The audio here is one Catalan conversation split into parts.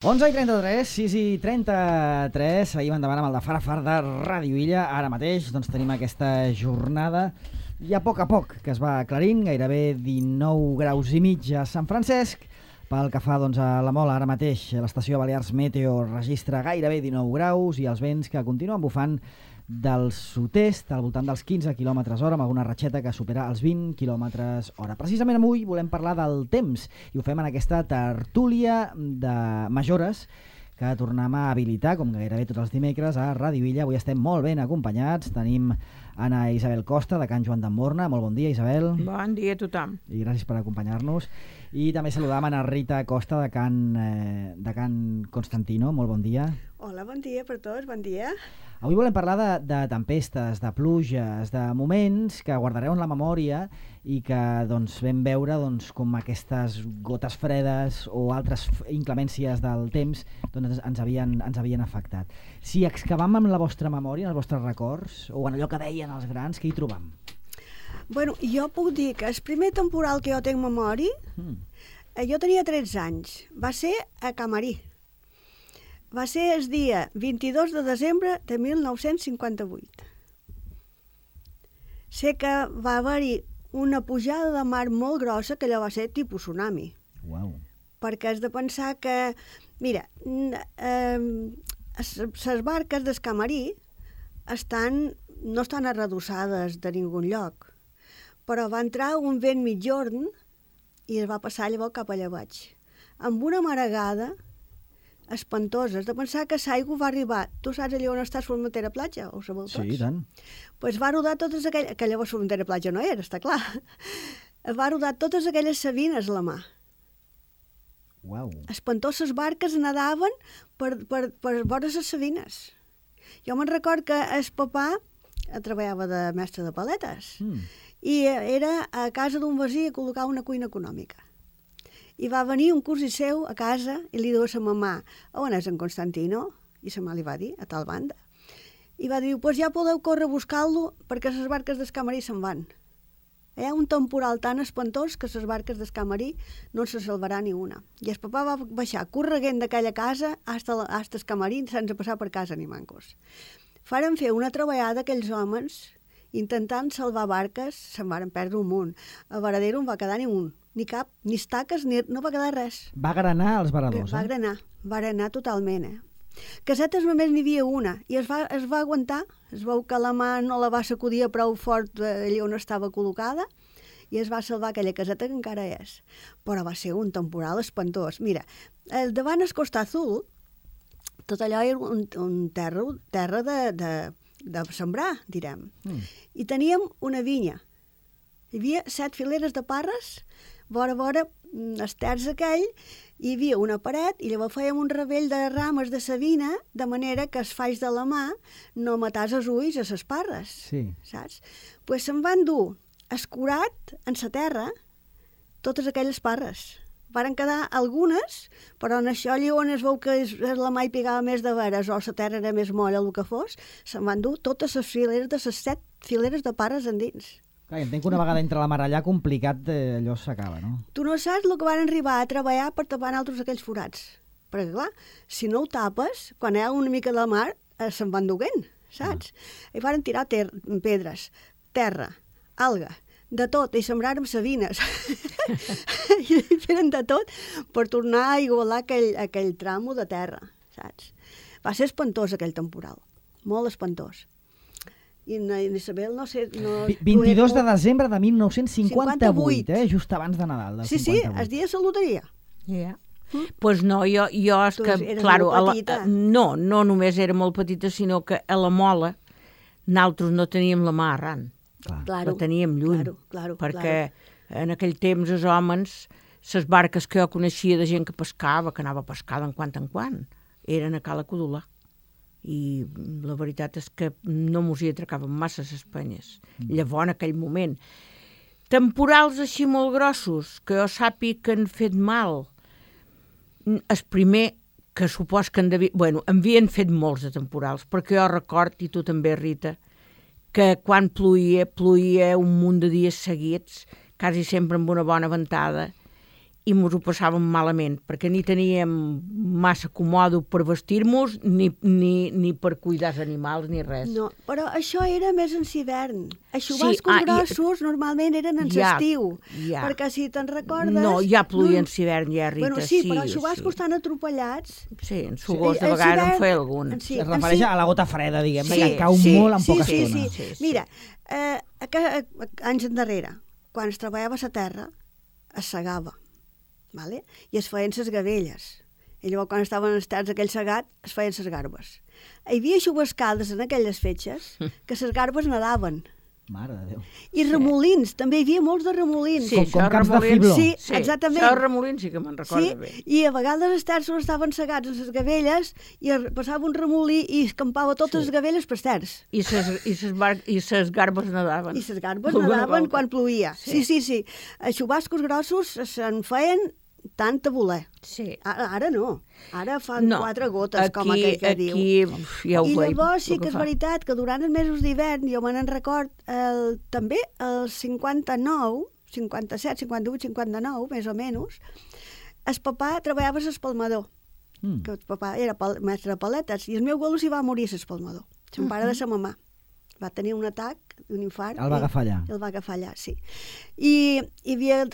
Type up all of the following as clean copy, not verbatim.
11:33, 6:33, seguim endavant amb el de Far de Ràdio Illa. Ara mateix tenim aquesta jornada i a poc que es va aclarint, gairebé 19 graus i mig a Sant Francesc. Pel que fa a la Mola, ara mateix l'estació Balears Meteo registra gairebé 19 graus i els vents que continuen bufant del sud-est al voltant dels 15 km/h amb alguna ratxeta que supera els 20 km/h. Precisament avui volem parlar del temps i ho fem en aquesta tertúlia de Majores que tornem a habilitar, com gairebé tots els dimecres, a Ràdio Illa. Avui estem molt ben acompanyats. Tenim Anna Isabel Costa, de Can Joan d'Emborna. Molt bon dia, Isabel. Bon dia a tothom. I gràcies per acompanyar-nos. I també saludam Anna Rita Costa, de Can Constantino. Molt bon dia. Hola, bon dia per tots, bon dia. Avui volem parlar de tempestes, de pluges, de moments que guardareu en la memòria i que vam veure com aquestes gotes fredes o altres inclemències del temps ens havien afectat. Si excavam en la vostra memòria, en els vostres records, o en allò que deien els grans, què hi trobam? Bueno, jo puc dir que el primer temporal que jo tinc memòria, jo tenia 13 anys, va ser a Camarí. Va ser el dia 22 de desembre de 1958. Sé que va haver-hi una pujada de mar molt grossa, que allò va ser tipus tsunami. Uau. Perquè has de pensar que, mira, les barques del Camarí no estan arredossades de ningun lloc, però va entrar un vent mitjorn i es va passar llavors cap allà baix, amb una maregada espantosa. Has de pensar que l'aigua va arribar. Tu saps allà on està Formentera Platja? Ho sabeu tots? Sí, i tant. Doncs va rodar totes aquelles... Que llavors Formentera Platja no era, està clar. Va rodar totes aquelles sabines a la mà. Uau. Espantoses barques nadaven per vora les sabines. Jo me'n record que el papà treballava de mestre de paletes i era a casa d'un veí a col·locar una cuina econòmica. I va venir un cosí seu a casa i li diu a sa mamà: on és en Constantino? I sa mamà li va dir: a tal banda. I va dir: pues ja podeu córrer a buscar-lo perquè les barques del Camarí se'n van. Hi ha un temporal tan espantós que les barques del Camarí no se salvarà ni una. I el papà va baixar correguent d'aquella casa hasta el Camarí sense passar per casa ni mancos. Faren fer una treballada aquells homes intentant salvar barques, se'n varen perdre un munt. A Varadero no va quedar ni un. Ni cap, ni estaques, no va quedar res. Va granar els varadors, Va granar totalment, Casetes només n'hi havia una, i es va aguantar. Es veu que la mà no la va sacudir prou fort allà on estava col·locada, i es va salvar aquella caseta que encara és. Però va ser un temporal espantós. Mira, davant el Costa Azul, tot allò era un terra de sembrar, direm. I teníem una vinya. Hi havia 7 fileres de parres, vora el terç aquell, hi havia una paret i llavors fèiem un ravell de rames de savina de manera que els falls de la mà no matàs els ulls a les parres, saps? Pues se'n van dur escurat en la terra totes aquelles parres. Varen quedar algunes, però en això allà on es veu que la mà hi pegava més de veres o la terra era més molla, el que fos, se'n van dur totes les fileres de les 7 fileres de parres endins. Clar, entenc que una vegada entra la mar allà, complicat allò s'acaba, no? Tu no saps el que van arribar a treballar per tapar altres aquells forats. Perquè, clar, si no ho tapes, quan hi ha una mica de mar, se'n van duguent, saps? I van tirar pedres, terra, alga, de tot, i sembràrem sabines. I feren de tot per tornar a igualar aquell tramo de terra, saps? Va ser espantós aquell temporal, molt espantós. I Isabel, no sé... 22 de desembre de 1958, just abans de Nadal. Sí, el dia de la loteria. Pues no, jo és que... Eres claro, molt petita. No només era molt petita, sinó que a la Mola nosaltres no teníem la mà arran. Claro, la teníem lluny. Claro, perquè en aquell temps els homes, les barques que jo coneixia de gent que pescava, que anava a pescar en quant, eren a Cala Codolà. I la veritat és que no mos hi atracaven massa les penyes. Llavors, en aquell moment. Temporals així molt grossos, que jo sàpiga que han fet mal. El primer, que supos que havien fet molts de temporals, perquè jo record, i tu també, Rita, que quan ploïa un munt de dies seguits, quasi sempre amb una bona ventada, i mos ho passàvem malament, perquè ni teníem massa comòdo per vestir-nos, ni per cuidar els animals, ni res. No, però això era més en hivern. Els xubascos grossos normalment eren en l'estiu, perquè si te'n recordes... No, ja pluïa en hivern, ja, Rita. Bueno, sí, però els xubascos estan atropellats. Sí, en Sogors de vegades en feia algun. Es refereix a la gota freda, diguem, que cau molt en poca estona. Sí. Mira, anys endarrere, quan es treballava a la terra, es segava. Vale? I es feien les gavelles. I llavors, quan estaven els terç aquell segat, es feien les garbes. Hi havia xubascades en aquelles fetges que les garbes nadaven. Mare de Déu. I remolins, també hi havia molts de remolins. Sí, com camps de fibló. Sí, exactament. Això de remolins sí que me'n recordo bé. I a vegades els terços estaven segats en les gavelles i passava un remolí i escampava totes les gavelles per terç. I ses garbes nadaven. I les garbes nadaven quan ploïa. Sí. Els xubascos grossos se'n feien tant a voler. Sí. Ara no. Ara fan 4 gotes, com aquell que diu. Aquí ja ho veig. I llavors sí que és veritat que durant els mesos d'hivern, jo me n'en record, també el 59, 57, 58, 59, més o menys, el papà treballava a l'espalmador. Que el papà era mestre de paletes, i el meu abuelo s'hi va morir a l'espalmador. Son pare de sa mamà. Va tenir un atac, un infart. El va agafar allà. El va agafar allà, sí. I havia,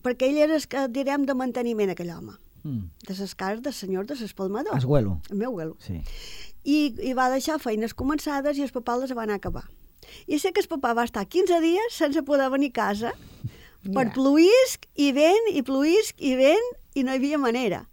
perquè ell era, direm, de manteniment, aquell home. De les cases del senyor de l'espalmador. El abuelo. El meu abuelo. Sí. I va deixar feines començades i el papà les va anar a acabar. I sé que el papà va estar 15 dies sense poder venir a casa per pluïsc i vent, i pluïsc i vent, i no hi havia manera.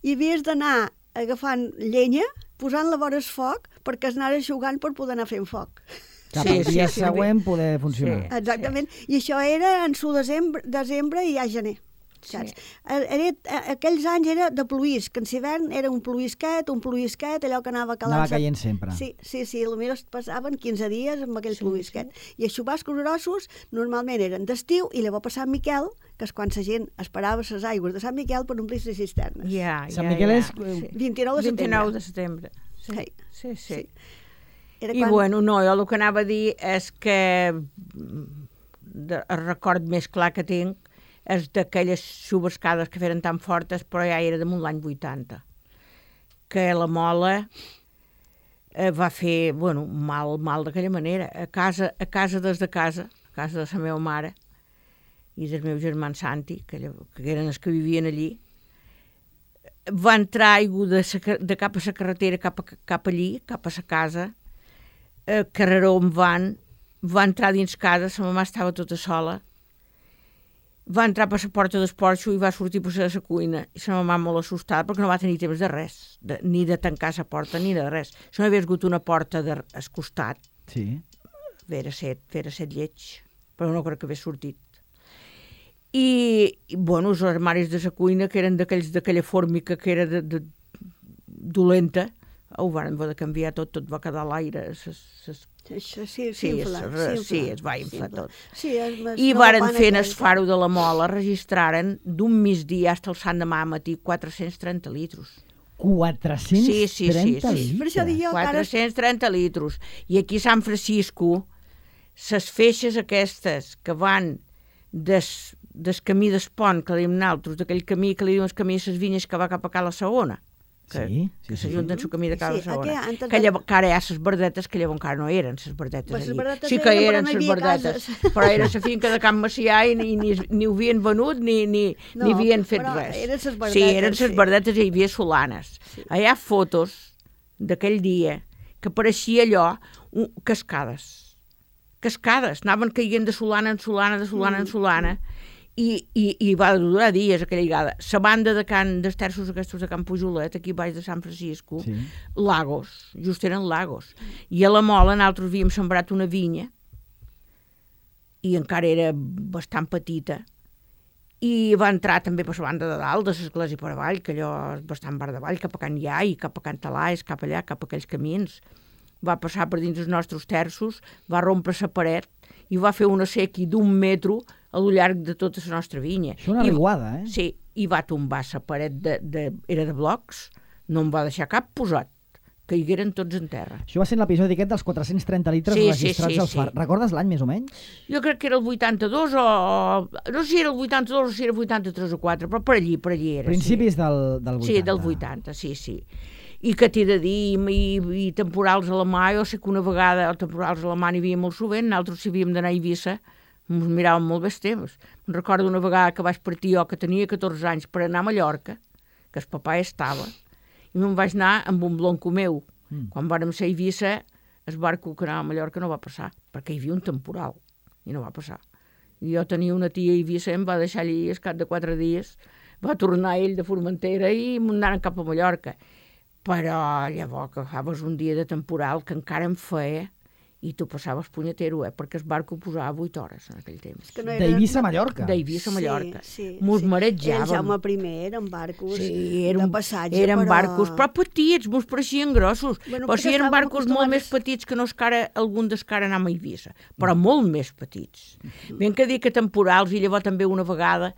I havies d'anar agafant llenya, posant-la vora el foc, perquè es anara eixugant per poder anar fent foc. Cap al dia següent poder funcionar. Sí, exactament. I això era en su desembre i ja gener. Saps? Aquells anys era de pluïsc, que en hivern era un pluïsquet, allò que anava calant. Anava caient sempre. Sí, potser passaven 15 dies amb aquell pluïsquet. I els xubascos grossos normalment eren d'estiu i llavors per Sant Miquel, que és quan la gent esperava les aigües de Sant Miquel per omplir les cisternes. Sant Miquel és 29 de setembre. 29 de setembre. Sí. I quan... no, jo el que anava a dir és que el record més clar que tinc és d'aquelles xubascades que feren tan fortes, però ja era damunt l'any 80, que la mola va fer, mal d'aquella manera. A casa des de casa, a casa de la meva mare i del meu germà Santi, que eren els que vivien allí, va entrar aigua de cap a la carretera, cap allí, cap a la casa, carreró on va entrar dins casa, la mamà estava tota sola, va entrar per la porta del porxo i va sortir per la cuina, i la mamà molt assustada perquè no va tenir temps de res, ni de tancar la porta ni de res. Si no hagués hagut una porta al costat, vera set lleig, però no crec que hagués sortit. I els armaris de la cuina, que eren d'aquella fórmica que era dolenta, ho van haver de canviar tot va quedar a l'aire. Sí, es va inflar tot. I varen fer en el faro de la Mola, registraren d'un migdia fins al Sant demà matí 430 litros. 430 litros? 430 litros. I aquí a Sant Francisco, les feixes aquestes que van del camí del pont, que diem nosaltres, d'aquell camí que li diuen el camí de les vinyes que va cap a Cala Segona, que s'ajunten el camí de Cala Segona, que ara hi ha les verdetes, que llavors encara no eren les verdetes allí. Sí que eren les verdetes, però era la finca de Can Macià i ni ho havien venut ni havien fet res. Sí, eren les verdetes i hi havia solanes. Hi ha fotos d'aquell dia que pareixia allò cascades, anaven caient de solana en solana, i va durar dies aquella lligada. La banda dels terços aquests de Can Pujolet, aquí baix de Sant Francisco, lagos, just eren lagos. I a la Mola nosaltres havíem sembrat una vinya, i encara era bastant petita, i va entrar també per la banda de dalt, de l'església per avall, que allò és bastant bar d'avall, cap a Can Iai, cap a Can Talais, cap allà, cap a aquells camins. Va passar per dins els nostres terços, va rompre la paret, i va fer una séquia d'1 metro a lo llarg de tota la nostra vinya. Això una riuada, eh? Sí, i va tombar la paret, era de blocs, no en va deixar cap posat. caigueren tots en terra. Això va ser en l'episodi aquest dels 430 litres registrats al far. Recordes l'any més o menys? Jo crec que era el 82 o... No sé si era el 82 o si era el 83 o 4, però per allí era. Principis del 80. Sí, del 80, sí. I que t'he de dir, i temporals a la mà, jo sé que una vegada temporals a la mà n'hi havia molt sovint, nosaltres si havíem d'anar a Eivissa, ens miràvem molt bé temps. Em recordo una vegada que vaig partir jo, que tenia 14 anys, per anar a Mallorca, que el papà estava, i me'n vaig anar amb un blonco meu. Quan vàrem ser a Eivissa, el barco que anava a Mallorca no va passar, perquè hi havia un temporal, i no va passar. I jo tenia una tia a Eivissa, em va deixar allí, al cap de 4 dies, va tornar ell de Formentera i m'anaren cap a Mallorca. Però llavors que agafaves un dia de temporal que encara em feia, i tu passaves punyetero, perquè el barco posava 8 hores en aquell temps. D'Eivissa a Mallorca? D'Eivissa a Mallorca. Sí. Marejàvem. El Jaume I eren barcos de passatge, eren barcos, però petits, mos pareixien grossos. Però sí, eren barcos molt més petits que no algun dels que ara anàvem a Eivissa, però molt més petits. Ben que dir que temporals, i llavors també una vegada,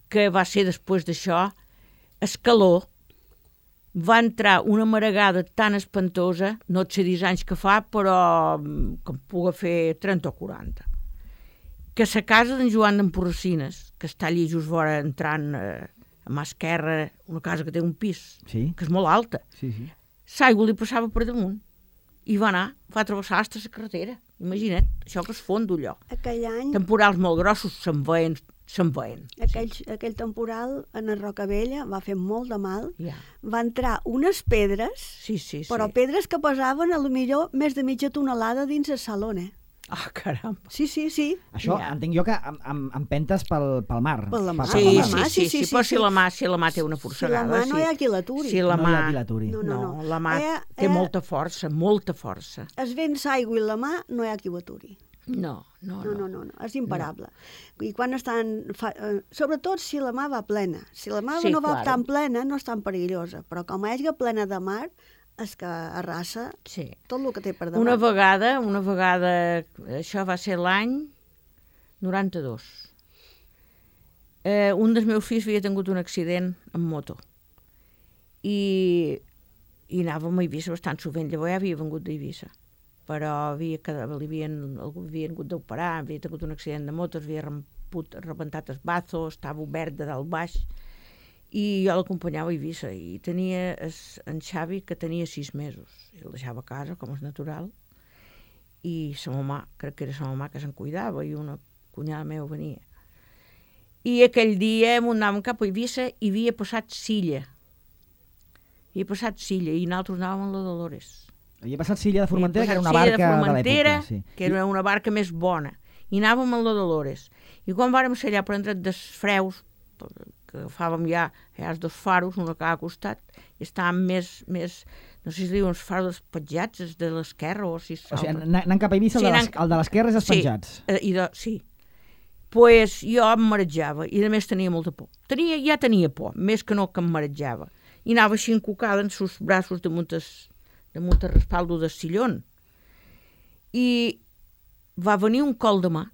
que va ser després d'això, escaló, va entrar una maregada tan espantosa, no et sé dir anys que fa, però que em pugui fer 30 o 40, que a la casa d'en Joan d'Emporracines, que està allí just vora entrant a mà esquerra, una casa que té un pis, que és molt alta, l'aigua li passava per damunt, i va travessar fins a la carretera. Imagina't, això que es fondo allò. Aquell any... Temporals molt grossos se'n veien. Aquell temporal en la Rocavella va fer molt de mal. Va entrar unes pedres, però pedres que pesaven a lo millor més de mitja tonelada dins el salón, Ah, caram. Sí. Això entenc jo que empentes pel mar. Per la mà. Sí, però si la mà té una forçagada. Si la mà no hi ha qui l'aturi. Si la mà... No, la mà té molta força. Es vents aigua i la mà no hi ha qui ho aturi. No, és imparable. I quan estan... Sobretot si la mà va plena. Si la mà no va tan plena, no és tan perillosa, però com és plena de mar, és que arrasa tot el que té per davant. Una vegada, això va ser l'any 92. Un dels meus fills havia tingut un accident amb moto i anàvem a Eivissa bastant sovint. Llavors ja havia vengut d'Eivissa, però algú havia hagut d'operar, havia tingut un accident de moto, havia rebentat el bazo, estava obert de dalt baix, i jo l'acompanyava a Eivissa, i tenia en Xavi, que tenia 6 mesos, i el deixava a casa, com és natural, i sa mamà, crec que era sa mamà que se'n cuidava, i una cunyada meva venia. I aquell dia anàvem cap a Eivissa i havia passat Silla, i nosaltres anàvem a la Dolores. Havia passat Silla de Formentera, que era una barca de l'època. Que era una barca més bona, i anàvem a la Dolores. I quan vàrem ser allà per entrar dels freus, que agafàvem ja els 2 faros, un a cada costat, i estàvem més, no sé si diuen els faros dels petjats, els de l'esquerra, o si... O sigui, anant cap a Eivissa, el de l'esquerra és els penjats. Sí. Pues jo em marejava, i a més tenia molta por. Ja tenia por, més que no que em marejava. I anava així encocada en sus braços damunt el respaldo del sillón. I va venir un col de mà,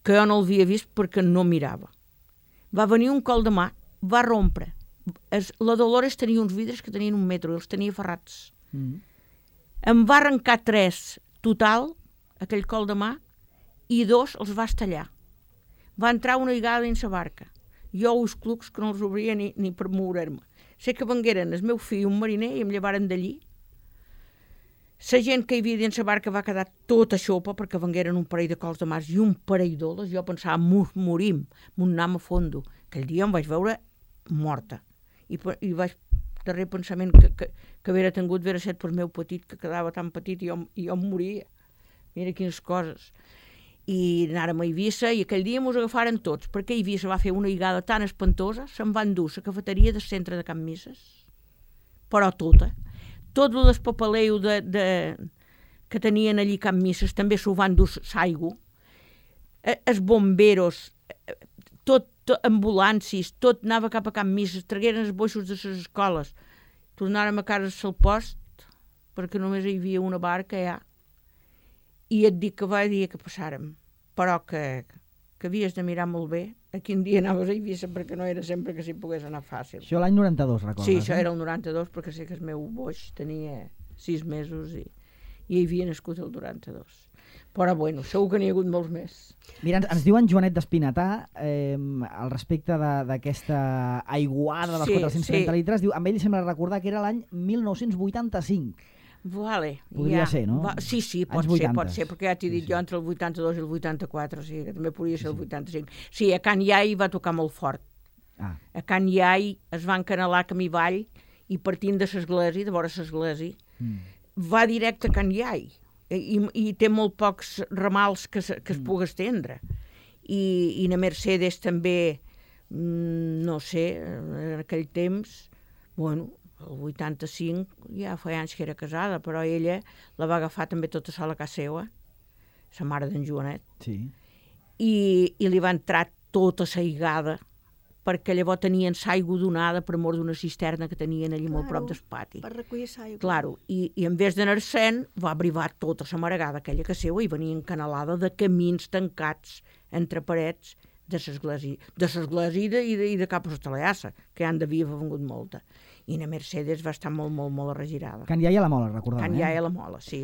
que jo no l'havia vist perquè no mirava. Va venir un col de mà, va rompre. La Dolores tenia uns vidres que tenien 1 metre, i els tenia ferrats. Em va arrencar 3 total, aquell col de mà, i 2 els va estallar. Va entrar una vegada dins la barca. Jo els clucs que no els obria ni per moure'm. Sé que vengueren el meu fill i un mariner i em llevaren d'allí. La gent que hi havia dins la barca va quedar tota xopa perquè vengueren un parell de cols de mar i un parell d'oles. Jo pensava, morim, m'anam a fondo. Aquell dia em vaig veure morta. I vaig, darrer pensament que haver tingut, haver estat per meu petit, que quedava tan petit i jo em moria. Mira quines coses. I anàrem a Eivissa i aquell dia mos agafaren tots, perquè Eivissa va fer una higada tan espantosa, se'n va endur la cafeteria del centre de Can Misses, però tota. Tot el despapaleu que tenien allí Can Misses també s'ho van dur l'aigua. Els bomberos, tot ambulàncies, tot anava cap a Can Misses, tragueren els boixos de les escoles. Tornàrem a casa al post, perquè només hi havia una barca ja. I et dic que va dir que passàrem, però que que havies de mirar molt bé a quin dia anaves a Eivissa, perquè no era sempre que s'hi pogués anar fàcil. Això l'any 92, recordes? Sí, això era el 92, perquè sé que el meu boix tenia 6 mesos i hi havia nascut el 92. Però bueno, segur que n'hi ha hagut molts més. Mira, ens diu en Joanet d'Espinatà, al respecte d'aquesta aiguada dels 430 litres, diu, amb ell sembla recordar que era l'any 1985. Vale, Podria ser, no? Sí, pot ser, perquè ja t'he dit jo entre el 82 i el 84, o sigui que també podria ser el 85. Sí, a Can Iai va tocar molt fort. A Can Iai es va encanelar camí avall i partint de l'església, de vora l'església, va directe a Can Iai i té molt pocs ramals que es pugui estendre. I na Mercedes també, no sé, en aquell temps, bueno, el 85 ja feia anys que era casada, però ella la va agafar també tota sola a casa seva, sa mare d'en Joanet, i li va entrar tota l'aigada, perquè llavors tenien l'aigua donada per amor d'una cisterna que tenien allà molt prop del pati. Per recollir l'aigua. Claro, i en vez d'anar-se'n va arribar tota la maregada aquella que seva i venia encanalada de camins tancats entre parets de l'església i de cap a l'Estalaiassa, que ja en devia haver vengut molta. I na Mercedes va estar molt, molt, molt arregirada. Can Iai a la Mola, recordava. Can Iai a la Mola, sí.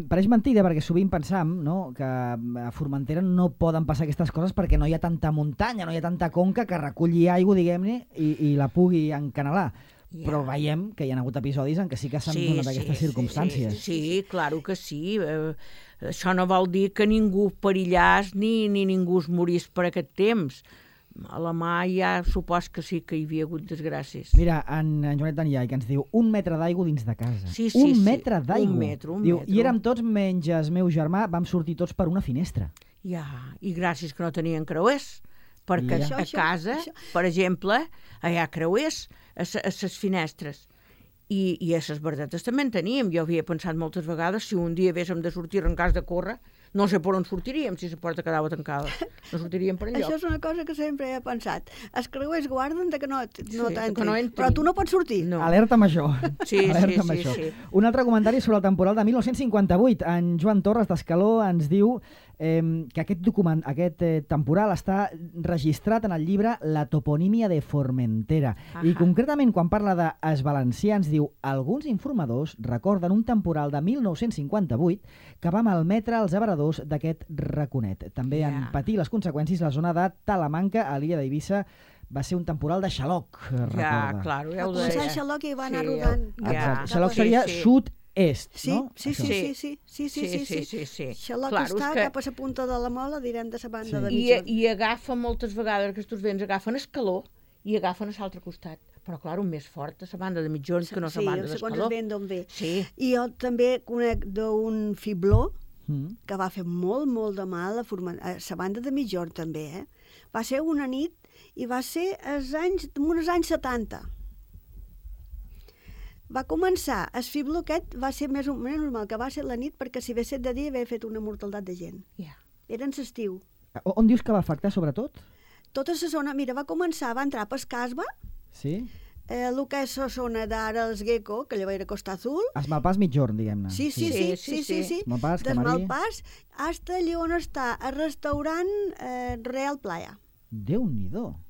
Pareix mentida, perquè sovint pensam, no?, que a Formentera no poden passar aquestes coses perquè no hi ha tanta muntanya, no hi ha tanta conca que reculli aigua, diguem-ne, i la pugui encanelar. Però veiem que hi ha hagut episodis en què sí que s'han donat aquestes circumstàncies. Sí, claro que sí. Això no vol dir que ningú perillàs ni ningú es morís per aquest temps. A la mà ja supos que sí que hi havia hagut desgràcies. Mira, en Joanet d'Aniai, que ens diu 1 metre d'aigua dins de casa. Sí. Un metre d'aigua. Un metre. Diu, i érem tots, menys el meu germà, vam sortir tots per una finestra. Ja, i gràcies que no tenien creuers, perquè a casa, per exemple, hi ha creuers a les finestres. I a les verdetes també en teníem. Jo havia pensat moltes vegades, si un dia haguéssim de sortir en cas de córrer, no sé per on sortiríem si la porta quedava tancada. No sortiríem per enlloc. Això és una cosa que sempre he pensat. Els creuers guarden que no t'entrin, però tu no pots sortir. No. Alerta amb això. Sí. Un altre comentari sobre el temporal de 1958. En Joan Torres d'Escaló ens diu que aquest temporal està registrat en el llibre La toponímia de Formentera. I concretament, quan parla dels valencians, diu: alguns informadors recorden un temporal de 1958 que va malmetre els abradors d'aquest raconet. També en patir les conseqüències la zona de Talamanca, a l'illa d'Eivissa. Va ser un temporal de xaloc, recorda. Ja, clar, ja ho deia. Va començar xaloc i va anar rodant. Xaloc seria sud-est, no? Sí. Xaloc està cap a la punta de la Mola, direm de la banda de Migjorn. I agafa moltes vegades, aquests vents agafen escaló i agafen a l'altre costat. Però, clar, un més fort a la banda de Migjorn que no a la banda d'Escaló. Sí, segons el vent d'on ve. Sí. I jo també conec d'un fibló que va fer molt, molt de mal a la banda de Migjorn, també. Va ser una nit i va ser uns anys 70. Va començar, el fibló aquest va ser més normal que va ser la nit, perquè si hagués set de dia havia fet una mortalitat de gent. Era en l'estiu. On dius que va afectar, sobretot? Tota la zona, mira, va entrar per Casba, sí. El que és la zona d'ara els Gecko, que llavors era Costa Azul. Es Malpàs Migjorn, diguem-ne. Sí. Malpàs, Des Malpàs, hasta allà on està el restaurant Real Playa. Déu-n'hi-do.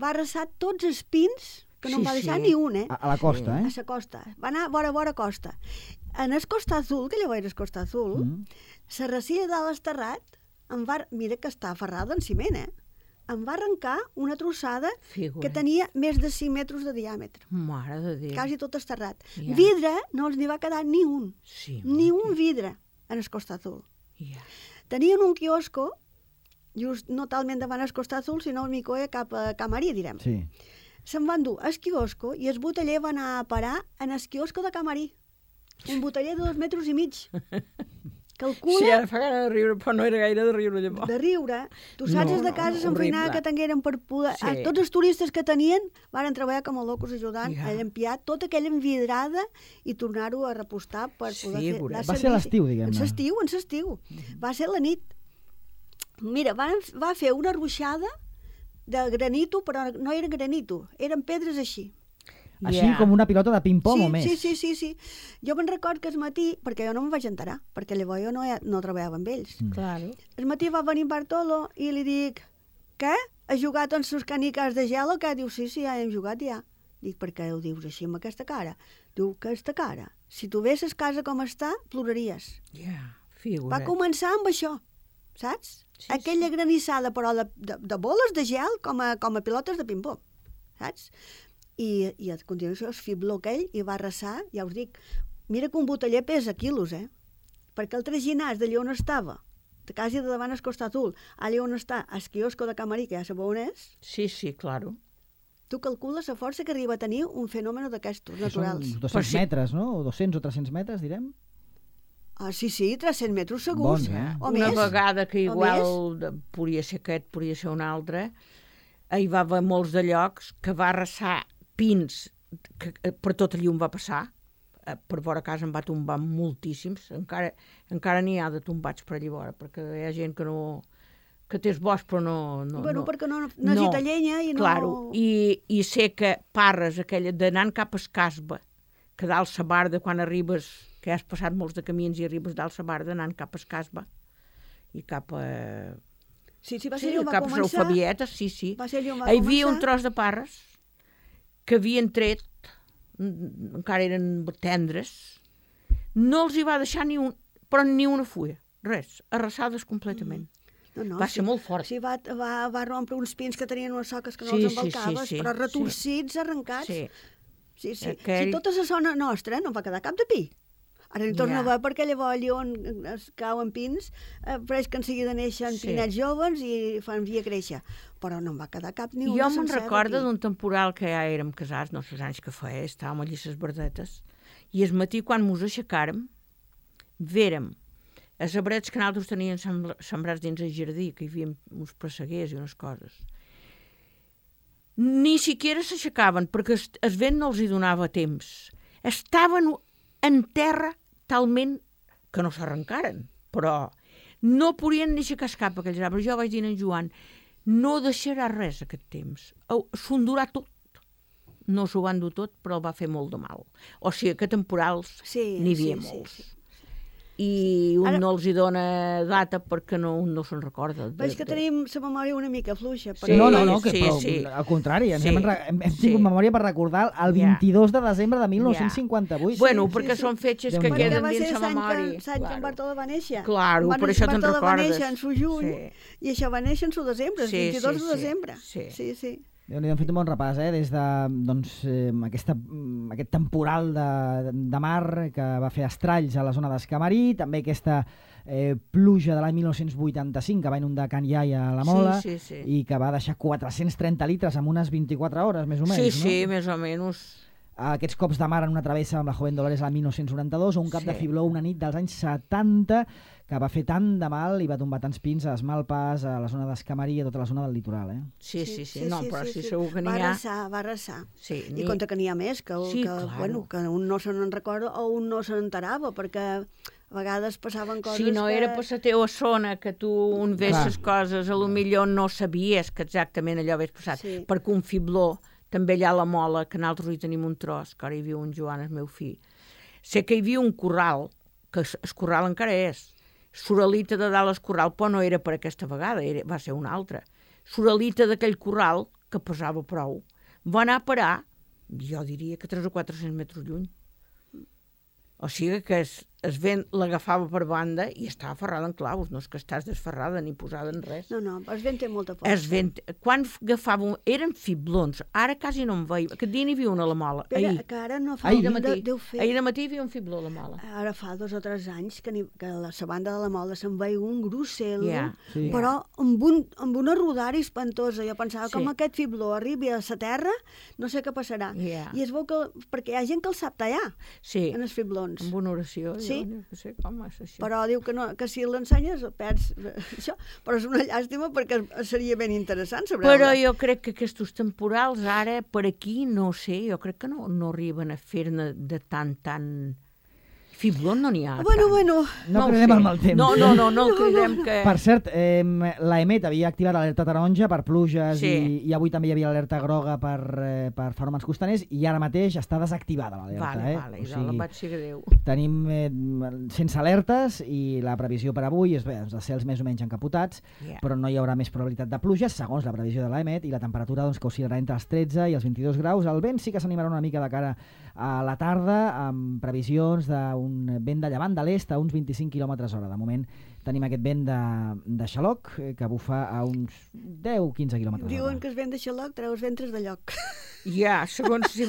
Va arrasar tots els pins, que no en va deixar ni un, A la costa, A la costa. Va anar vora costa. En el Costa Azul, que llavors era Costa Azul, la recia de l'esterrat, mira que està aferrada en ciment, em va arrencar una trossada que tenia més de 5 metres de diàmetre. Mare de Déu. Quasi tot esterrat. Vidre no els n'hi va quedar ni un. Ni un vidre en el Costa Azul. Tenien un quiosco, just no talment davant el Costa Azul, sinó al mico cap a Camarí, direm. Se'n van dur al quiosco i el boteller va anar a parar en el quiosco de Camarí. Un boteller de 2,5 metres. Calcula... Sí, ara fa gana de riure, però no era gaire de riure llavors. De riure. Tu saps de casa s'enfeinava que tingueren per poder... Tots els turistes que tenien van treballar com a locos ajudant a llampiar tota aquella envidrada i tornar-ho a repostar per poder fer... Va ser a l'estiu, diguem-ne. En l'estiu. Va ser la nit. Mira, va fer una ruixada de granito, però no era granito, eren pedres així. Així com una pilota de ping-pong o més. Sí. Jo me'n record que al matí, perquè jo no me'n vaig enterar, perquè llavors jo no treballava amb ells. Claro. Al matí va venir Bartolo i li dic, què? Has jugat amb sus canicas de gel o què? Diu, sí, ja hem jugat ja. Dic, per què ho dius així amb aquesta cara? Diu, aquesta cara, si tu vesses casa com està, ploraries. Figura't. Va començar amb això, saps? Sí, aquella granissada, però de boles de gel com a pilotes de ping-pong, saps? I a continuació es fibló aquell i va arrasar, ja us dic, mira que un boteller pesa quilos, perquè el traginàs d'allà on estava, de casa de davant al costat ul, allà on està el quiosco de Camarí, que ja sabeu on és. Sí, claro. Tu calcules la força que arriba a tenir un fenomen d'aquestos naturals. Són 200 metres, no? O 200 o 300 metres, direm? Ah, sí, 300 metres segurs. Bons, o Una més. vegada que igual podria ser aquest, podria ser un altre, hi va haver molts de llocs que va arrasar pins, que per tot allí on va passar, per vora casa en va tombar moltíssims, encara n'hi ha de tombats per allà vora, perquè hi ha gent que té bosc però no... Perquè no necessita llenya i no... Claro, i sé que Parres, aquella d'anant cap a Escasba, que dalt sa barda, quan arribes, que has passat molts de camins i arribes dalt sa barda, anant cap a Escasba, i cap a... Sí, va ser allò va cap a començar... Salfabietes, sí. Va ser allò va Hi havia començar... un tros de Parres que havien tret, encara eren tendres, no els hi va deixar ni una fulla, res, arrasades completament. Va ser molt fort. Sí, va rompre uns pins que tenien unes soques que no els embalcaves, però retorcits, arrencats. Sí. Si tota la zona nostra no va quedar cap de pi. Ara n'hi torna a veure perquè llavors allà on es cauen pins, pareix que en seguida neixen pinets joves i fan via créixer. Però no en va quedar cap ni un sencer. Jo me'n recordo d'un temporal que ja érem casats, no sé anys que feia, estàvem allà a les verdetes, i el matí quan mos aixecàrem, vérem els arbrets que nosaltres teníem sembrats dins el jardí, que hi havia uns presseguers i unes coses. Ni siquiera s'aixecaven, perquè el vent no els hi donava temps. Estaven en terra talment que no s'arrencaren, però no podien ni aixecar cap aquells arbres. Jo vaig dir a en Joan, no deixarà res aquest temps, s'ho endurà tot. No s'ho van dur tot, però va fer molt de mal. O sigui que temporals n'hi havia molts. I un no els hi dona data perquè un no se'n recorda. Veig que tenim la memòria una mica fluixa. No, al contrari, hem tingut memòria per recordar el 22 de desembre de 1958. Bueno, perquè són fetges que queden dins la memòria. L'any que en Bartoló va néixer. Claro, per això te'n recordes. Bartoló va néixer en su juny i això va néixer en su desembre, el 22 de desembre. Sí. Hem fet un bon repàs, des de aquest temporal de mar que va fer estralls a la zona d'Escamarí, també aquesta pluja de l'any 1985 que va inundar Can Iaia a la Mola i que va deixar 430 litres en unes 24 hores, més o menys. Sí, més o menys. Aquests cops de mar en una travessa amb la Joven Dolores l'any 1992 o un cap de fibló una nit dels anys 70 que va fer tant de mal i va tombar tants pins a Esmalpes, a la zona d'Escamarí i a tota la zona del litoral. Sí, però sí, segur que n'hi ha... Va arrasar. I compte que n'hi ha més, que un no se n'en recorda o un no se n'enterava, perquè a vegades passaven coses si no era per la teva zona que tu on ves les coses, a lo millor no sabies que exactament allò hagués passat, perquè un fibló també allà a la Mola, que nosaltres hi tenim un tros, que ara hi viu un Joan, el meu fill. Sé que hi havia un corral, que el corral encara és. Soralita de dalt al corral, però no era per aquesta vegada, va ser una altra. Soralita d'aquell corral, que pesava prou, va anar a parar, jo diria que 300 o 400 metres lluny. O sigui que el vent l'agafava per banda i estava ferrada en claus, no és que estàs desferrada ni posada en res. No, el vent té molta força. Quan agafava, eren fiblons, ara quasi no en veiem. Aquest dia n'hi havia una a la Mola, ahir. Que ara no fa... Ahir de matí hi havia un fibló a la Mola. Ara fa 2 o 3 anys que a la banda de la Mola se'n veia un grussel, però amb una rodada espantosa. Jo pensava, com aquest fibló arribi a la terra, no sé què passarà. I es veu que... perquè hi ha gent que el sap tallar, en els fiblons. Amb una oració, no sé com és això. Però diu que si l'ensenyes perds això, però és una llàstima perquè seria ben interessant saber-ho. Però jo crec que aquests temporals ara per aquí, no sé, jo crec que no arriben a fer-ne de tan Fiblón no n'hi ha. Bueno. No ho cridem sé. el mal temps. No el cridem que... Per cert, l'EMET havia activat l'alerta taronja per pluges i avui també hi havia l'alerta groga per fenòmens costaners i ara mateix està desactivada l'alerta. Vale, jo vaig ser Déu. Tenim sense alertes i la previsió per avui és els cels més o menys encapotats, però no hi haurà més probabilitat de pluges, segons la previsió de l'EMET, i la temperatura que oscil·larà entre els 13 i els 22 graus. El vent sí que s'animarà una mica de cara a la tarda, amb previsions d'un vent de llevant de l'est a uns 25 km/h. De moment tenim aquest vent de xaloc que bufa a uns 10-15 km/h. Diuen que es vent de xaloc, treus ventres de lloc. Ja, segons si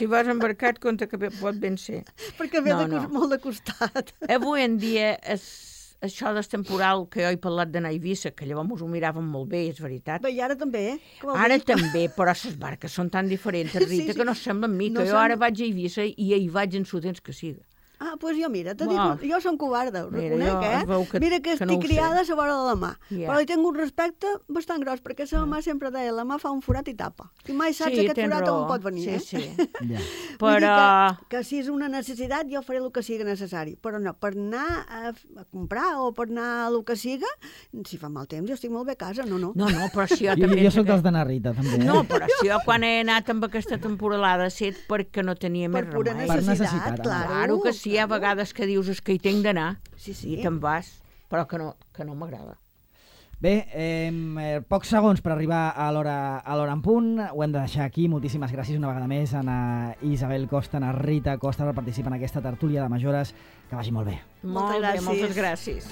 vas embarcat, compte que pot ben ser. Perquè ve molt de costat. Avui en dia això del temporal, que jo he parlat d'anar a Eivissa, que llavors ho miràvem molt bé, és veritat. Bé, i ara també, Ara també, però les barques són tan diferents, Rita, que no semblen mi, que jo ara vaig a Eivissa i hi vaig en su temps que siga. Ah, doncs jo, mira, jo som covarda, ho reconec, Mira que estic criada a la vora de la mà, però hi tinc un respecte bastant gros, perquè la mà sempre deia, la mà fa un forat i tapa. I mai saps aquest forat on pot venir, Però... Que si és una necessitat, jo faré el que sigui necessari, però no, per anar a comprar o per anar a el que siga, si fa mal temps, jo estic molt bé a casa, no. No, però si jo també... Jo soc dels d'anar a Rita, també. No, però si jo quan he anat amb aquesta temporalada ha set perquè no tenia més remei. Per necessitat, claro que sí. Hi ha vegades que dius que hi tinc d'anar i te'n vas, però que no m'agrada. Bé, pocs segons per arribar a l'hora en punt. Ho hem de deixar aquí. Moltíssimes gràcies una vegada més a Isabel Costa, a Rita Costa per participar en aquesta tertúlia de Majores. Que vagi molt bé. Moltes gràcies.